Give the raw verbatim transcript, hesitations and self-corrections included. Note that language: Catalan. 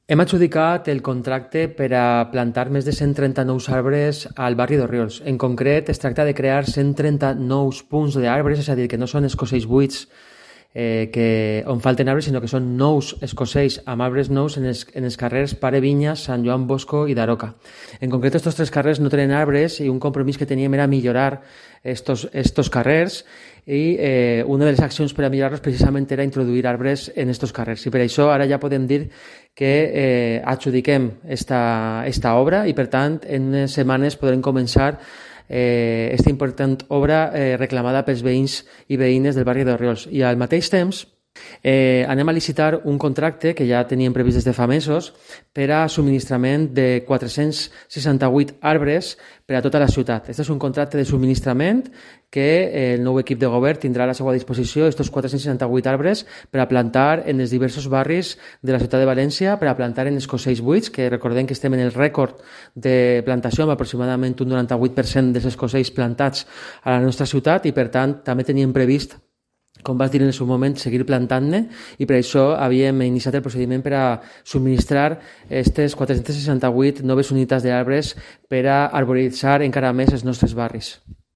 Hem adjudicat el contracte per a plantar més de cent trenta nous arbres al barri d'Orriols. En concret, es tracta de crear cent trenta nous punts d'arbres, és a dir, que no són escocells buits eh, que, on falten arbres, sinó que són nous escocells amb arbres nous en els, en els carrers Pare Vinyes, Sant Joan Bosco i Daroca. En concret, aquests tres carrers no tenen arbres i un compromís que teníem era millorar estos, estos carrers i eh, una de les accions per a millorar-los precisament era introduir arbres en estos carrers. I per això ara ja podem dir que eh, adjudiquem esta, esta obra i per tant en unes setmanes podrem començar eh, esta important obra eh, reclamada pels veïns i veïnes del barri d'Orriols. I al mateix temps Eh, anem a licitar un contracte que ja teníem previst des de fa mesos per a subministrament de quatre-cents seixanta-vuit arbres per a tota la ciutat. Este és un contracte de subministrament que eh, el nou equip de govern tindrà a la seva disposició estos quatre-cents seixanta-vuit arbres per a plantar en els diversos barris de la ciutat de València, per a plantar en escocells buits, que recordem que estem en el rècord de plantació amb aproximadament un noranta-vuit per cent dels escocells plantats a la nostra ciutat i per tant també teníem previst, com vas dir en el seu moment, seguir plantant-ne i per això havíem iniciat el procediment per a subministrar aquestes quatre-cents seixanta-vuit noves unitats d'arbres per a arboritzar encara més els nostres barris.